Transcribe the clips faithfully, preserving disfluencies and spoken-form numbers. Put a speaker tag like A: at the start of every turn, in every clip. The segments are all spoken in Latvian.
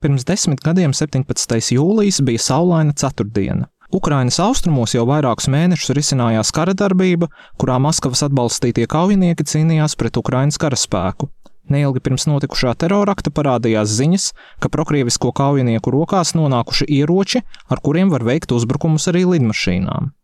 A: Pirms desmit gadiem septiņpadsmitais jūlijas bija saulaina ceturtdiena. Ukrainas austrumos jau vairākus mēnešus risinājās kara darbība, kurā Maskavas atbalstītie kaujinieki cīnījās pret Ukrainas karaspēku. Neilgi pirms notikušā terorakta parādījās ziņas, ka prokrievisko kaujinieku rokās nonākuši ieroči, ar kuriem var veikt uzbrukumus arī lidmašīnām.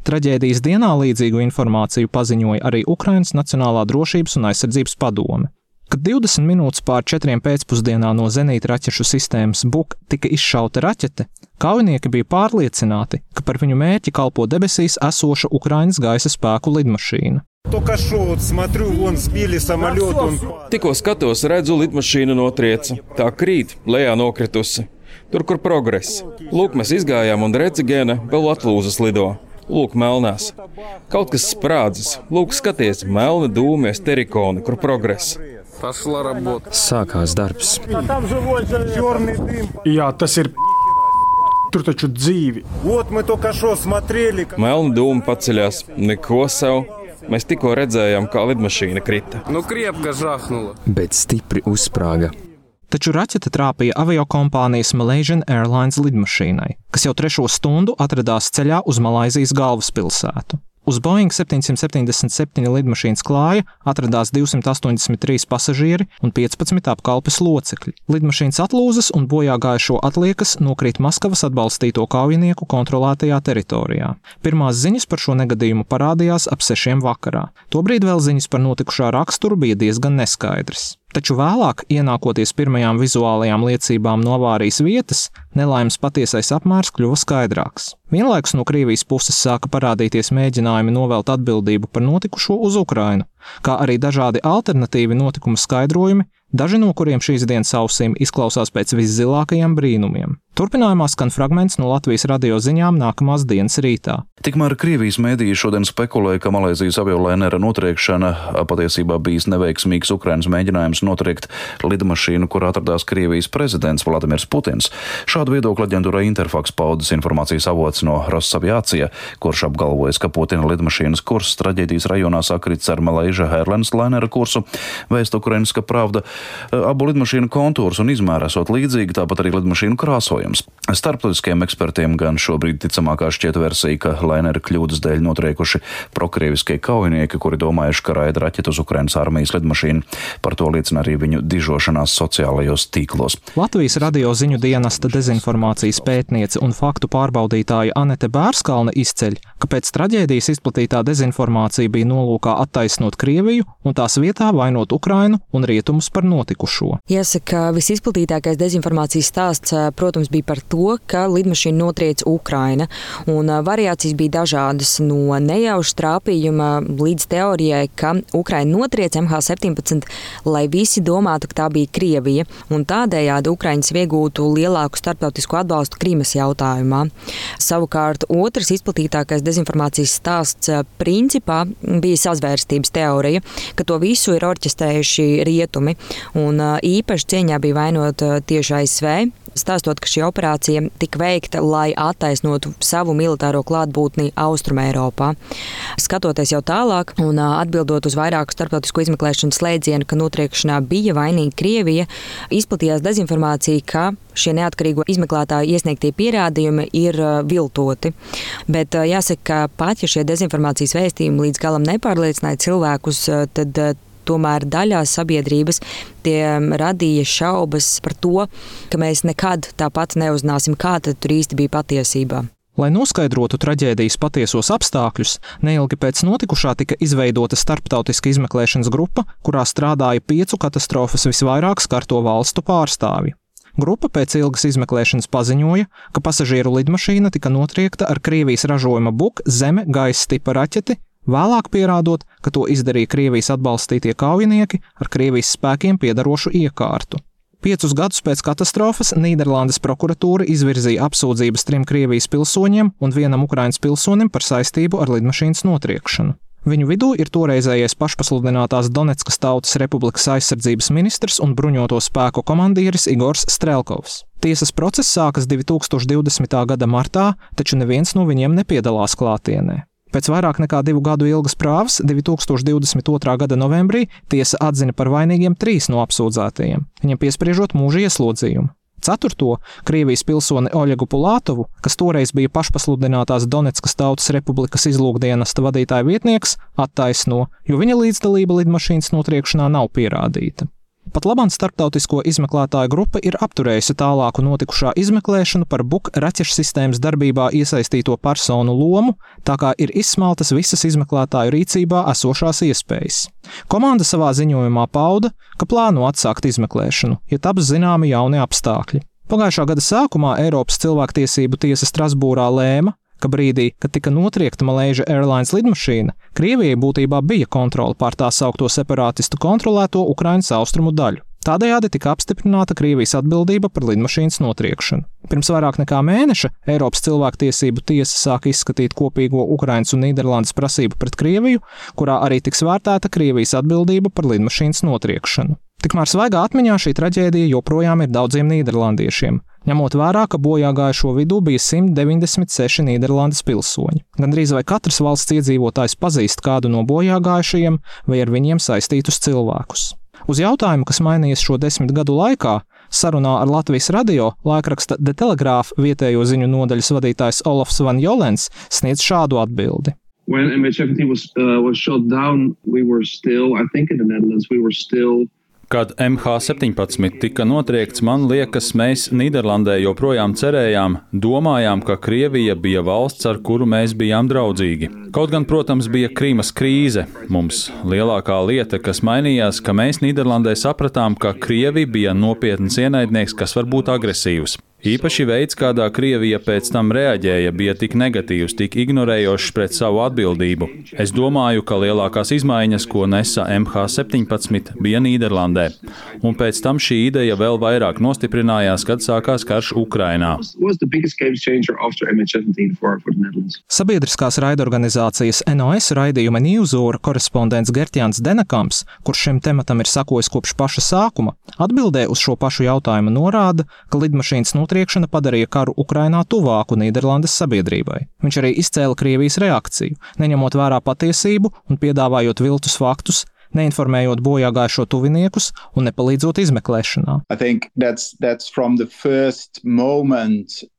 A: Traģēdijas dienā līdzīgu informāciju paziņoja arī Ukrainas Nacionālā drošības un aizsardzības padome. Kad divdesmit minūtes pār četriem pēcpusdienā no zenīta raķešu sistēmas Buk tika izšauta raķete, kaujinieki bija pārliecināti, ka par viņu mērķi kalpo debesīs esoša Ukrainas gaisa spēku lidmašīna.
B: Tikko skatos, redzu, lidmašīna notrieca. Tā krīt, lejā nokritusi. Tur, kur progress. Lūk, mēs izgājām un Recigēna vēl atlūzas lido. Lūk, melnās. Kaut kas sprādzis. Lūk, skaties, melni dūmies terikoni, kur progress.
C: Sākās darbs.
D: Jā, tas ir... Tur taču dzīvi.
B: Melni dūmi paceļās. Neko savu. Mēs tikko redzējām, kā lidmašīna krita.
C: Nu, kriepka žahnula. Bet stipri uzsprāga.
A: Taču raķete trāpīja aviokompānijas Malaysian Airlines lidmašīnai, kas jau trešo stundu atradās ceļā uz Malaizijas galvaspilsētu. Uz Boeing septiņsimt septiņdesmit septiņi lidmašīnas klāja atradās divsimt astoņdesmit trīs pasažieri un piecpadsmit apkalpes locekļi. Lidmašīnas atlūzas un bojā gājušo atliekas nokrīt Maskavas atbalstīto kaujinieku kontrolētajā teritorijā. Pirmās ziņas par šo negadījumu parādījās ap sešiem vakarā. Tobrīd vēl ziņas par notikušā raksturu bija diezgan neskaidras. Taču vēlāk, ienākoties pirmajām vizuālajām liecībām no avārijas vietas, nelaimes patiesais apmērs kļuva skaidrāks. Vienlaikus no Krievijas puses sāka parādīties mēģinājumi novelt atbildību par notikušo uz Ukrainu, kā arī dažādi alternatīvi notikumu skaidrojumi, daži no kuriem šīs dienas ausīm izklausās pēc viszilākajiem brīnumiem. Turpinājumā skan fragments no Latvijas radio ziņām nākamās dienas rītā.
E: Tikmēr Krievijas mēdīji šodien spekulēja, ka Malaizijas aviolainera notriekšana patiesībā bijis neveiksmīgs Ukrainas mēģinājums notriekt lidmašīnu, kur atradās Krievijas prezidents Vladimirs Putins. Šādu viedokļu aģentūrai Interfax paudis informācijas avots no Rosaviācija, kurš apgalvojas, ka Putina lidmašīnas kurs traģēdijas rajonā sakrits ar Malaysia Airlines lainera kursu. Vēst Ukrainiska Pravda abu lidmašīnu kontūrus un izmēri esot līdzīgi, tāpat arī lidmašīnu krāsojums. Starptautiskiem ekspertiem gan šobrīd ticamākā šķiet versija, ka lainera kļūdas dēļ notriekuši prokrieviskie kaujinieki, kuri domājuši, ka raida raķetu uz Ukrainas armijas lidmašīnu. Par to liecina arī viņu dižošanās sociālajos tīklos.
A: Latvijas radio ziņu dienesta dezinformācijas pētniece un faktu pārbaudītāja Anete Bērskalne izceļ, ka pēc traģēdijas izplatītā dezinformācija bija nolūkā attaisnot Krieviju un tās vietā vainot Ukrainu un rietumus par notikušo.
F: Jāsaka, visizplatītākais dezinformācijas stāsts, protams, bija par to, ka lidmašīna notriec Ukraina, un variācijas bija dažādas no nejauša trāpījuma līdz teorijai, ka Ukraina notriec M H septiņpadsmit, lai visi domātu, ka tā bija Krievija, un tādējādi Ukraiņas iegūtu lielāku starptautisku atbalstu Krimas jautājumā. Savukārt, otrs izplatītākais dezinformācijas stāsts principā bija sazvērstības teorija, ka to visu ir orķestrējuši rietumi, un īpaši cieņā bija vainot tieši A S V, stāstot, ka šī operācija tika veikta, lai attaisnotu savu militāro klātbūtni Austrumeiropā. Skatoties jau tālāk un atbildot uz vairāku starptautisku izmeklēšanas slēdzienu, ka notriekšanā bija vainīga Krievija, izplatījās dezinformācija, ka šie neatkarīgo izmeklētāju iesniegtie pierādījumi ir viltoti. Bet jāsaka, ka pat ja šie dezinformācijas vēstījumi līdz galam nepārliecināja cilvēkus, tad tomēr daļā sabiedrības tie radīja šaubas par to, ka mēs nekad tāpat neuzzināsim, kā tad tur īsti bija patiesībā.
A: Lai noskaidrotu traģēdijas patiesos apstākļus, neilgi pēc notikušā tika izveidota starptautiska izmeklēšanas grupa, kurā strādāja piecu katastrofas visvairāk skarto valstu pārstāvji. Grupa pēc ilgas izmeklēšanas paziņoja, ka pasažieru lidmašīna tika notriekta ar Krievijas ražojuma Buk zeme gaisa tipa raķeti, vēlāk pierādot, ka to izdarīja Krievijas atbalstītie kaujinieki ar Krievijas spēkiem piedarošu iekārtu. Piecus gadus pēc katastrofas Nīderlandes prokuratūra izvirzīja apsūdzības trim Krievijas pilsoņiem un vienam Ukrainas pilsonim par saistību ar lidmašīnas notriekšanu. Viņu vidū ir toreizējais pašpasludinātās Doneckas Tautas Republikas aizsardzības ministrs un bruņoto spēku komandieris Igors Strelkovs. Tiesas process sākas divi tūkstoši divdesmitā gada martā, taču neviens no viņiem nepiedalās klātienē. Pēc vairāk nekā divu gadu ilgas prāvas divi tūkstoši divdesmit otrā gada novembrī tiesa atzina par vainīgiem trīs no apsūdzētajiem, viņam piespriežot mūža ieslodzījumu. Ceturto Krievijas pilsoni Oļegu Pulātovu, kas toreiz bija pašpasludinātās Donetskas Tautas Republikas izlūkdienesta vadītāja vietnieks, attaisno, jo viņa līdzdalība lidmašīnas notriekšanā nav pierādīta. Pat labāk starptautisko izmeklētāju grupa ir apturējusi tālāku notikušā izmeklēšanu par Buk raķešu sistēmas darbībā iesaistīto personu lomu, tā kā ir izsmeltas visas izmeklētāju rīcībā esošās iespējas. Komanda savā ziņojumā pauda, ka plāno atsākt izmeklēšanu, ja taps zināmi jauni apstākļi. Pagājušā gada sākumā Eiropas cilvēktiesību tiesa Strasbūrā lēma, ka brīdī, kad tika notriekta Malaysia Airlines lidmašīna, Krievijai būtībā bija kontrole pār tā saukto separātistu kontrolēto Ukrainas austrumu daļu. Tādējādi tika apstiprināta Krievijas atbildība par lidmašīnas notriekšanu. Pirms vairāk nekā mēneša Eiropas cilvēktiesību tiesa sāka izskatīt kopīgo Ukrainas un Nīderlandes prasību pret Krieviju, kurā arī tiks vērtēta Krievijas atbildība par lidmašīnas notriekšanu. Tikmēr svaigā atmiņā šī traģēdija joprojām ir daudziem nīderlandiešiem, ņemot vērā, ka bojā gājušo vidū bija simt deviņdesmit seši Nīderlandes pilsoņi. Gandrīz vai katrs valsts iedzīvotājs pazīst kādu no bojā gājušajiem vai ar viņiem saistītus cilvēkus. Uz jautājumu, kas mainījies šo desmit gadu laikā, sarunā ar Latvijas radio laikraksta The Telegraph vietējo ziņu nodaļas vadītājs Olofs Van Jolens sniedz šādu atbildi.
G: When M H seventeen was, uh, was shot down, we were still, I think in the Netherlands, we were still
H: Kad M H septiņpadsmit tika notriekts, man liekas, mēs Nīderlandē joprojām cerējām, domājām, ka Krievija bija valsts, ar kuru mēs bijām draudzīgi. Kaut gan, protams, bija Krīmas krīze. Mums lielākā lieta, kas mainījās, ka mēs Nīderlandē sapratām, ka Krievija bija nopietns ienaidnieks, kas var būt agresīvs. Īpaši veids, kādā Krievija pēc tam reaģēja, bija tik negatīvs, tik ignorējošs pret savu atbildību. Es domāju, ka lielākās izmaiņas, ko nesa M H septiņpadsmit, bija Nīderlandē. Un pēc tam šī ideja vēl vairāk nostiprinājās, kad sākās karš Ukrainā.
A: Sabiedriskās raidorganizācijas N O S raidījuma Newshour korespondents Gertjāns Denekams, kurš šim tematam ir sakojis kopš paša sākuma, atbildē uz šo pašu jautājumu norāda, ka lidmašīnas notriekšana Notriekšana padarīja karu Ukrainā tuvāku Nīderlandes sabiedrībai. Viņš arī izcēla Krievijas reakciju, neņemot vērā patiesību un piedāvājot viltus faktus, neinformējot bojā gājušo tuviniekus un nepalīdzot izmeklēšanā.
I: That's, that's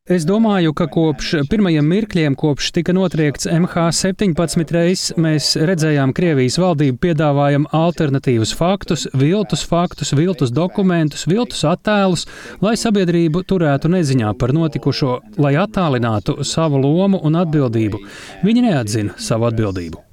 J: Es domāju, ka kopš pirmajiem mirkļiem, kopš tika notriekts M H septiņpadsmit reizes, mēs redzējām Krievijas valdību piedāvājam alternatīvus faktus, viltus faktus, viltus dokumentus, viltus attēlus, lai sabiedrību turētu neziņā par notikušo, lai attālinātu savu lomu un atbildību. Viņi neatzina savu atbildību.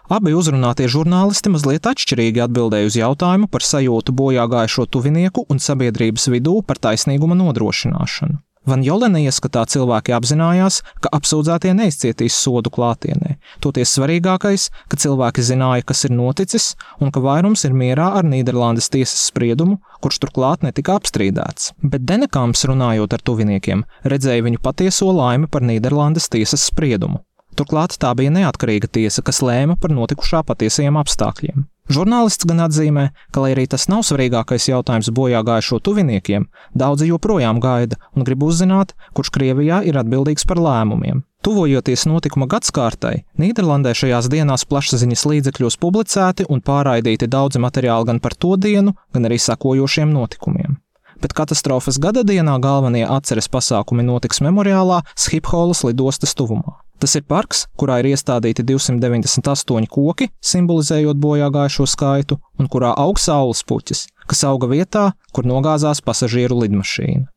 A: Abi uzrunātie žurnālisti mazliet atšķirīgi atbildēja uz jautājumu par sajūtu bojā gājušo tuvinieku un sabiedrības vidū par taisnīguma nodrošināšanu. Van Jolene ieskatā cilvēki apzinājās, ka apsūdzētie neizcietīs sodu klātienē. Toties svarīgākais, ka cilvēki zināja, kas ir noticis, un ka vairums ir mierā ar Nīderlandes tiesas spriedumu, kurš turklāt netika apstrīdēts. Bet Denekams, runājot ar tuviniekiem, redzēja viņu patieso laimi par Nīderlandes tiesas spriedumu. Turklāt tā bija neatkarīga tiesa, kas lēma par notikušā patiesajiem apstākļiem. Žurnālists gan atzīmē, ka, lai arī tas nav svarīgākais jautājums bojā gājušo tuviniekiem, daudzi joprojām gaida un grib uzzināt, kurš Krievijā ir atbildīgs par lēmumiem. Tuvojoties notikuma gadskārtai, Nīderlandē šajās dienās plašsaziņas līdzekļos publicēti un pārraidīti daudzi materiāli gan par to dienu, gan arī sekojošiem notikumiem. Bet katastrofas gada dienā galvenie atceres pasākumi notiks memoriālā Schipholas lidostas tuvumā. Tas ir parks, kurā ir iestādīti divsimt deviņdesmit astoņi koki, simbolizējot bojā gājušo skaitu, un kurā aug saules puķis, kas auga vietā, kur nogāzās pasažieru lidmašīna.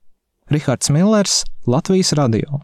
A: Rihards Millers, Latvijas radio.